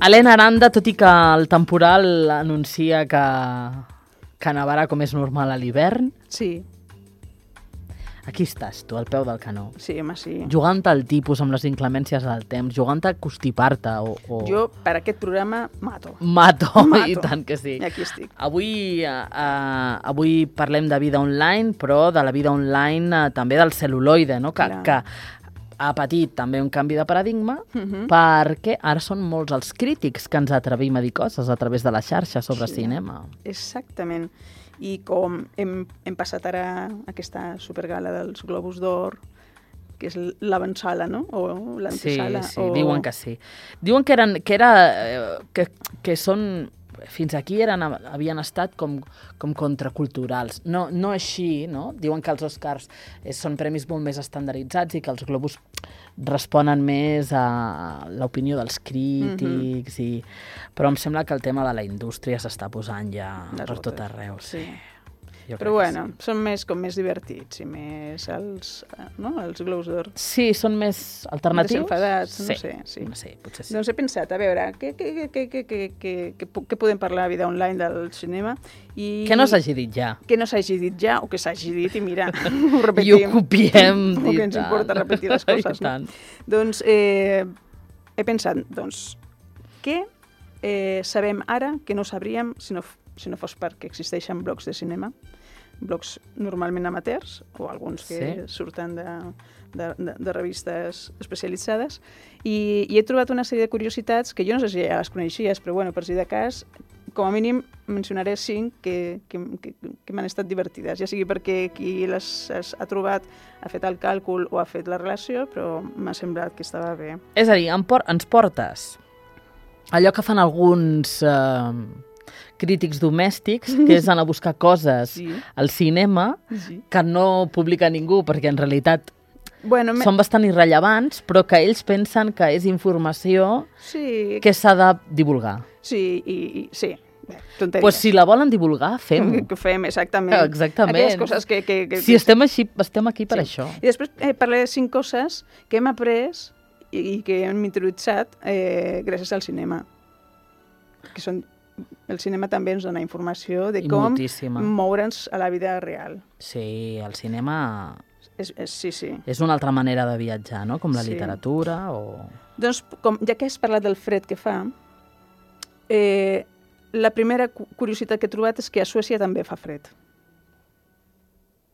Helena Aranda, tot i que el temporal anuncia que nevarà com és normal a l'hivern, Sí, aquí estàs tu, al peu del canó. sí, home, sí. Jugant al tipus amb les inclemències del temps, jugant a constipar-te o... Jo, per aquest programa, mato. Mato, Mato. i tant que sí. I aquí estic. Avui parlem de vida online, però de la vida online també del cel·luloide, no? Que ha patit també un canvi de paradigma perquè ara són molts els crítics que ens atrevim a dir coses a través de la xarxa sobre cinema. Exactament. I com hem passat ara aquesta supergala dels Globus d'Or, que és l'avantsala, no? O l'antesala. Sí, diuen que sí. Diuen que són... Fins aquí havien estat com contraculturals. No així, no? Diuen que els Oscars són premis molt més estandarditzats i que els Globus responen més a l'opinió dels crítics. Però em sembla que el tema de la indústria s'està posant ja per tot arreu. Sí. Però bueno, són com més divertits i més els Globus d'Or. Sí, són més alternatius. Desenfadats, no sé. Sí, potser sí. Doncs he pensat, a veure, què podem parlar a vida online del cinema? Que no s'hagi dit ja. Que no s'hagi dit ja, o que s'hagi dit i mira, ho repetim. I ho copiem. O que ens importa repetir les coses. No? Doncs he pensat, què sabem ara que no sabríem si no fos perquè existeixen blogs de cinema, blogs normalment amateurs, o alguns que surten de revistes especialitzades, i he trobat una sèrie de curiositats que jo no sé si ja les coneixies, però bueno, per si de cas, com a mínim mencionaré 5 que m'han estat divertides, ja sigui perquè qui les ha trobat ha fet el càlcul o ha fet la relació, però m'ha semblat que estava bé. És a dir, ens portes allò que fan alguns crítics domèstics, que és anar a buscar coses al cinema que no publica ningú, perquè en realitat són bastant irrellevants, però que ells pensen que és informació que s'ha de divulgar. Sí, sí. Tonteries. Pues si la volen divulgar, fem-ho. Que fem, exactament. Aquelles coses que... Si estem aquí per això. I després parlaré de 5 coses que hem après i que hem interioritzat gràcies al cinema. Que són... El cinema també ens dona informació de com moure'ns a la vida real. Sí, el cinema... Sí. És una altra manera de viatjar, no? Com la literatura o... Doncs, ja que has parlat del fred que fa, la primera curiositat que he trobat és que a Suècia també fa fred.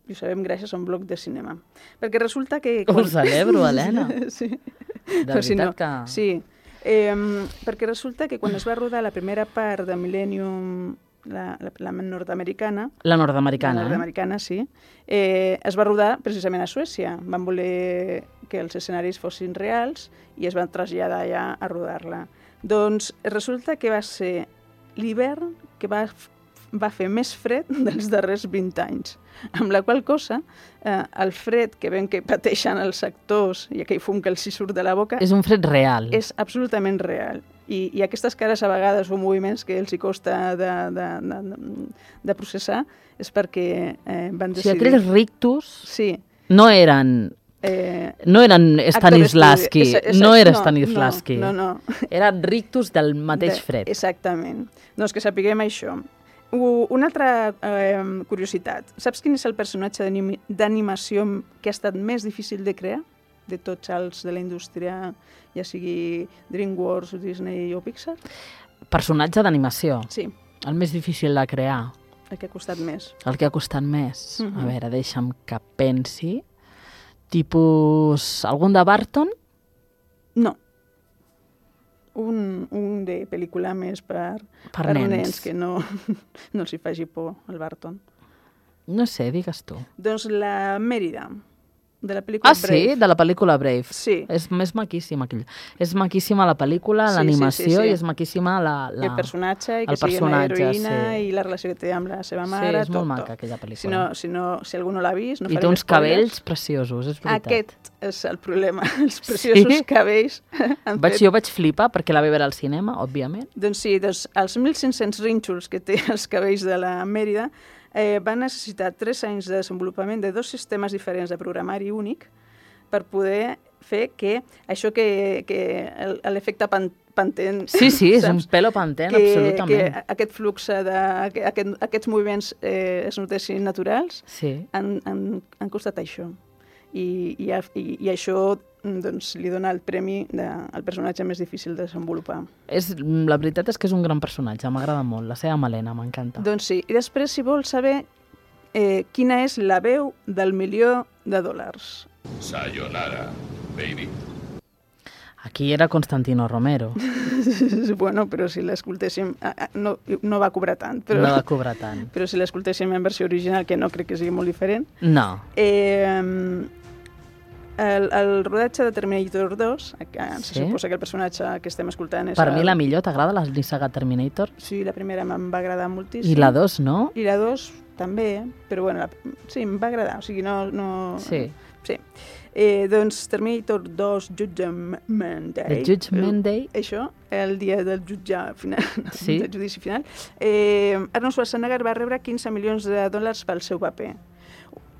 I ho sabem gràcies a un blog de cinema. Perquè resulta que... Ho celebro, Helena. Sí. De veritat que... Sí. Perquè resulta que quan es va rodar la primera part de Millennium, la nord-americana... La nord-americana, La nord-americana, sí. Es va rodar precisament a Suècia. Van voler que els escenaris fossin reals i es van traslladar allà a rodar-la. Doncs resulta que va ser l'hivern que va fer més fred dels darrers 20 anys. Amb la qual cosa, el fred que ven que pateixen els actors i aquell fum que els hi surt de la boca... És un fred real. És absolutament real. I aquestes cares a vegades o moviments que els hi costa de processar és perquè van decidir... O sigui, aquells rictus no eren Stanislavski. No era Stanislavski. No. Eren rictus del mateix fred. Exactament. Doncs que sapiguem això. Una altra curiositat. Saps quin és el personatge d'animació que ha estat més difícil de crear? De tots els de la indústria, ja sigui DreamWorks, Disney o Pixar? Personatge d'animació? Sí. El més difícil de crear? El que ha costat més. El que ha costat més? A veure, deixa'm que pensi. Tipus... Algun de Barton? No. Un de pel·lícula més per nens que no els hi faci por, el Barton. No sé, digues tu. Doncs la Mèrida, de la pel·lícula Brave. Sí, de la pel·lícula Brave. Sí. És maquíssima aquell. És maquíssima la pel·lícula, l'animació i és maquíssima el personatge, i que sigui una heroïna i la relació que té amb la seva mare. Sí, és molt maca aquella pel·lícula. Si algú no l'ha vist, no farem spoilers. I té uns cabells preciosos, és veritat. Aquest és el problema, els preciosos cabells. Jo vaig flipar perquè la vaig veure al cinema, òbviament. Doncs sí, els 1.500 rínxols que té els cabells de la Mèrida van necessitar 3 anys de desenvolupament de 2 sistemes diferents de programari únic per poder fer que això que l'efecte Pantene... Sí, és un pelo Pantene, absolutament. Que aquest flux, aquests moviments es notessin naturals, han costat això. I això doncs, li dona el premi al personatge més difícil de desenvolupar. La veritat és que és un gran personatge, m'agrada molt, la seva Malena, m'encanta. Doncs sí, i després, si vols saber quina és la veu del $1.000.000. Sayonara, baby. Aquí era Constantino Romero. Bueno, però si l'escoltéssim... No va cobrar tant. No va cobrar tant. Però si l'escoltéssim en versió original, que no crec que sigui molt diferent... No. El rodatge de Terminator 2, se suposa que el personatge que estem escoltant és... Per mi la millor, t'agrada la saga Terminator? Sí, la primera em va agradar moltíssim. I la 2, no? I la 2 també, però bueno, sí, em va agradar, o sigui, no... Sí. Doncs Terminator 2 Judgment Day. The Judgment Day. Això, el dia del del judici final. Arnold Schwarzenegger va rebre $15 milions pel seu paper.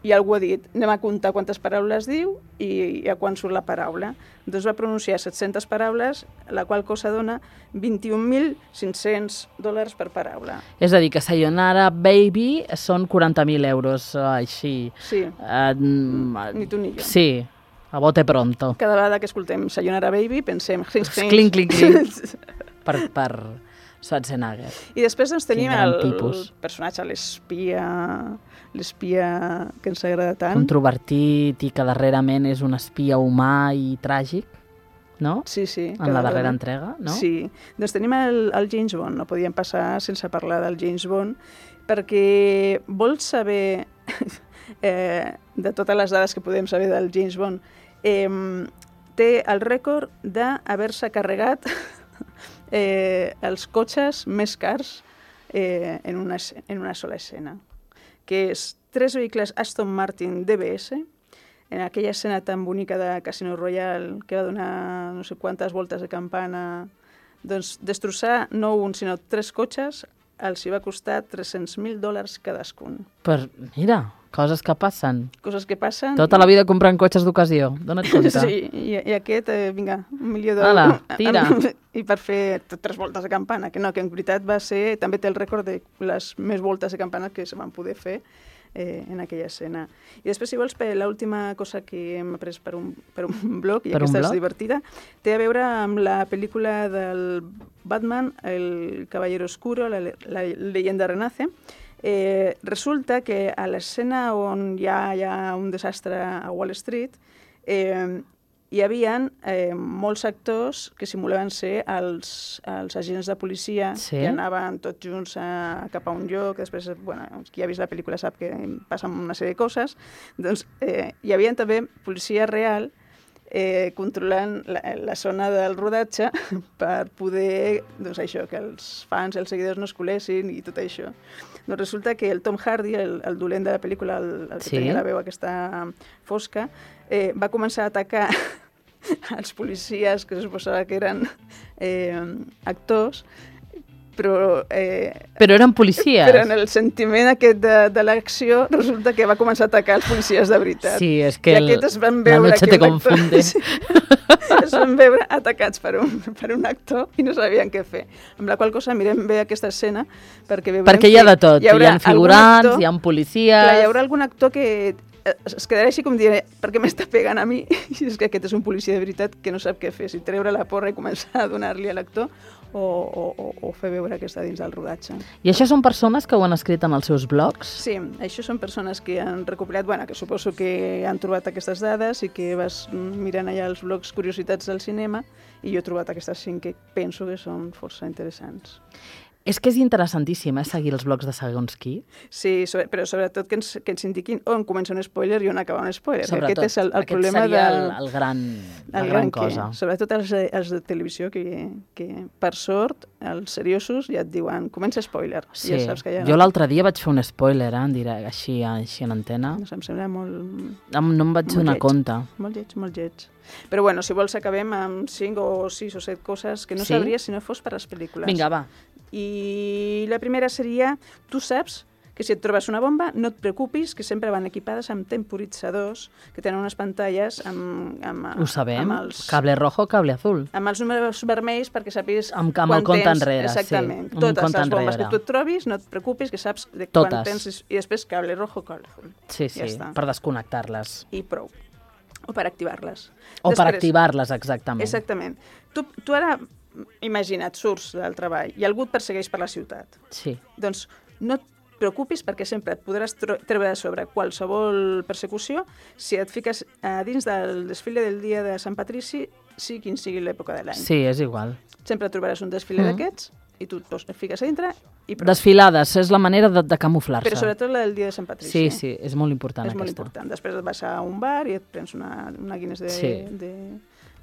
I algú ha dit, anem a comptar quantes paraules diu i a quan surt la paraula. Doncs va pronunciar 700 paraules, la qual cosa dona $21.500 per paraula. És a dir, que Sayonara Baby són 40.000 euros, així. Sí, ni tu ni jo. Sí, a bote pronto. Cada vegada que escoltem Sayonara Baby pensem... Clink, clink, clink. per Schwarzenegger. I després doncs, tenim el personatge, l'espia que ens agrada tant. Controvertit i que darrerament és un espia humà i tràgic, no? Sí. En la darrera entrega, no? Sí. Doncs tenim el James Bond, no podíem passar sense parlar del James Bond, perquè vols saber, de totes les dades que podem saber del James Bond, té el rècord d'haver-se carregat els cotxes més cars en una sola escena, que és 3 vehicles Aston Martin DBS, en aquella escena tan bonica de Casino Royale que va donar no sé quantes voltes de campana, doncs destrossar no un sinó 3 cotxes els hi va costar $300.000 cadascun. Mira, coses que passen. Coses que passen. Tota la vida comprant cotxes d'ocasió, dona't compte. Sí, i aquest, vinga, $1 milió. Hala, tira. I per fer 3 voltes de campana, que en veritat va ser, també té el rècord de les més voltes de campana que se van poder fer en aquella escena. I després, si vols, l'última cosa que hem après per un blog, i aquesta és divertida, té a veure amb la pel·lícula del Batman, El Caballero Oscuro, la leyenda renace. Resulta que a l'escena on hi ha un desastre a Wall Street, hi havia molts actors que simulaven ser els agents de policia que anaven tots junts cap a un lloc. Després, qui ha vist la pel·lícula sap que passen una sèrie de coses. Doncs hi havia també policia real controlant la zona del rodatge per poder, doncs això, que els fans i els seguidors no es colessin i tot això. Doncs resulta que el Tom Hardy, el dolent de la pel·lícula, el que tenia la veu aquesta fosca, va començar a atacar els policies que se suposava que eren actors, però eren policies. Però en el sentiment aquest de l'acció resulta que va començar a atacar els policies de veritat. Sí, és que la noche te confunde. Es van veure atacats per un actor i no sabien què fer. Amb la qual cosa mirem bé aquesta escena perquè hi ha de tot. Hi ha figurants, hi ha policies... Clar, hi haurà algun actor que es quedarà així com diré, per què m'està pegant a mi? I és que aquest és un policia de veritat que no sap què fer, si treure la porra i començar a donar-li a l'actor o fer veure que està dins del rodatge. I això són persones que ho han escrit en els seus blogs? Sí, això són persones que han recopilat, que suposo que han trobat aquestes dades i que vas mirant allà els blogs Curiositats del cinema i jo he trobat aquestes 5 que penso que són força interessants. És que és interessantíssim, seguir els blogs de segons qui. Sí, però sobretot que ens indiquin on comença un spoiler i on acaba un spoiler. Sobretot, aquest és el problema seria la gran cosa. Sobretot els de televisió que per sort, els seriosos ja et diuen comença spoiler. Sí, ja saps que jo l'altre dia vaig fer un spoiler, en direct, així en antena. No sé, em sembla molt... No em vaig donar compte. Molt lleig. Però si vols acabem amb 5 o 6 o 7 coses que no sabries si no fos per les pel·lícules. Vinga, va. I la primera seria, tu saps que si et trobes una bomba, no et preocupis, que sempre van equipades amb temporitzadors, que tenen unes pantalles amb Ho sabem, amb els, cable rojo, cable azul. amb els números vermells perquè sàpigues Amb el compte enrere, exactament. sí. Amb un Totes compte les bombes enrere. que tu et trobis, no et preocupis, que saps de Totes. quan tens, i després cable rojo, cable azul. Sí, Ja està. per desconnectar-les. I prou. O per activar-les. O per activar-les, exactament. Exactament. Tu ara, imagina't, surts del treball i algú et persegueix per la ciutat. Sí. Doncs no et preocupis perquè sempre et podràs treure de sobre qualsevol persecució si et fiques a dins del desfile del dia de Sant Patrici, sigui quin sigui l'època de l'any. Sí, és igual. Sempre trobaràs un desfile d'aquests i tu et fiques a dintre i prou. Desfilades, és la manera de camuflar-se. Però sobretot la del dia de Sant Patrici. Sí, sí, és molt important És molt aquesta. important. Després et vas a un bar i et prens una Guinness Sí.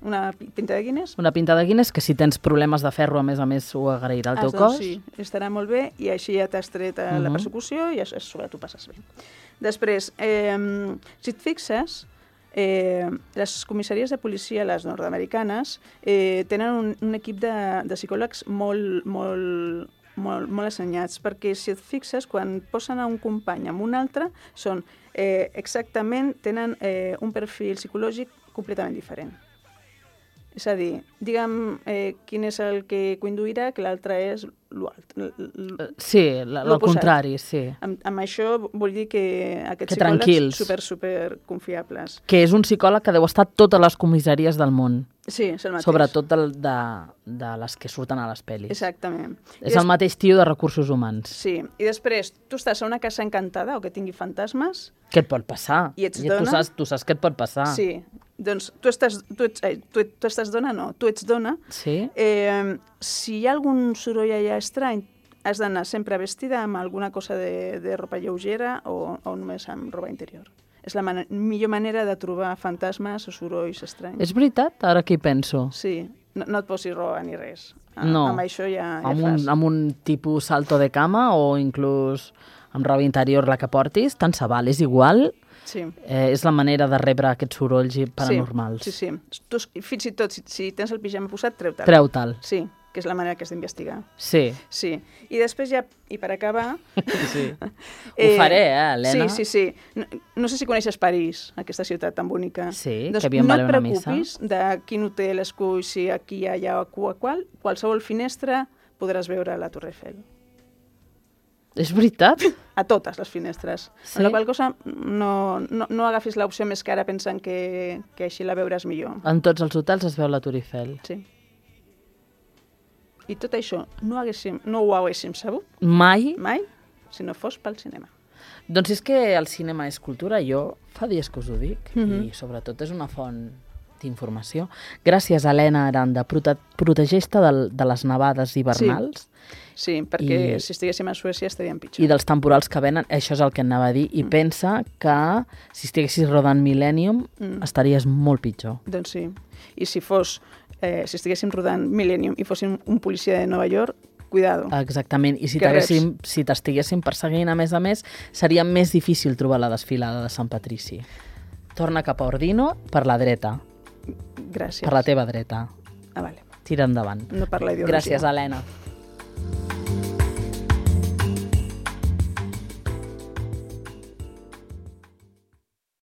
una pinta de Guinness. Una pinta de Guinness que si tens problemes de ferro, a més ho agrairà el teu cos. Sí, estarà molt bé i així ja t'has tret la persecució i a sobre tu passes bé. Després, si et fixes, les comissaries de policia, les nord-americanes, tenen un equip de psicòlegs molt assenyats, perquè si et fixes, quan posen a un company amb un altre, tenen un perfil psicològic completament diferent. És a dir, digue'm quin és el que conduirà, que l'altre és Sí, el contrari, sí. Amb això vull dir que aquests tranquils. psicòlegs super confiables. Que és un psicòleg que deu estar a totes les comissaries del món. Sí, és el mateix. Sobretot de les que surten a les pel·lis. Exactament. És el mateix tio de recursos humans. Sí, i després tu estàs a una casa encantada o que tingui fantasmes. Què et pot passar? I ets dona. Tu saps què et pot passar. Sí, doncs tu estàs dona, no, tu ets dona. Sí. Si hi ha algun soroll allà estrany, has d'anar sempre vestida amb alguna cosa de roba lleugera o només amb roba interior. És la millor manera de trobar fantasmes o sorolls estranys. És veritat, ara que hi penso. Sí, no et posis roba ni res. No. Amb això ja fas. Amb un tipus salto de cama o inclús amb roba interior la que portis, tant se val, és igual. Sí. És la manera de rebre aquests sorolls paranormals. Sí. Tu, fins i tot, si tens el pijama posat, treu-te'l. Treu-te'l. Sí, que és la manera que has d'investigar. Sí. I després ja, i per acabar... Sí. Ho faré, Helena? Sí. No sé si coneixes París, aquesta ciutat tan bonica. Sí, doncs que havíem d'anar a una missa. No et preocupis de quin hotel esculls, si aquí, allà o qualsevol finestra podràs veure la Torre Eiffel. És veritat? A totes les finestres. Sí? Amb la qual cosa no agafis l'opció més cara pensant que així la veuràs millor. En tots els hotels es veu la Torre Eiffel. Sí. I tot això no ho haguéssim sabut mai si no fos pel cinema. Doncs és que el cinema és cultura, jo fa dies que us ho dic, i sobretot és una font d'informació. Gràcies, Helena Aranda, protegeix-te de les nevades hivernals. Sí, perquè si estiguéssim a Suècia estaríem pitjor. I dels temporals que venen, això és el que anava a dir, i pensa que si estiguessis rodant Millennium estaries molt pitjor. Doncs sí, i si estiguéssim rodant Millennium i fóssim un policia de Nova York, cuidado. Exactament, i si t'estiguéssim perseguint a més, seria més difícil trobar la desfilada de Sant Patrici. Torna cap a Ordino per la dreta. Gràcies. Per la teva dreta. Vale. Tira endavant. No per la ideologia. Gràcies, Helena.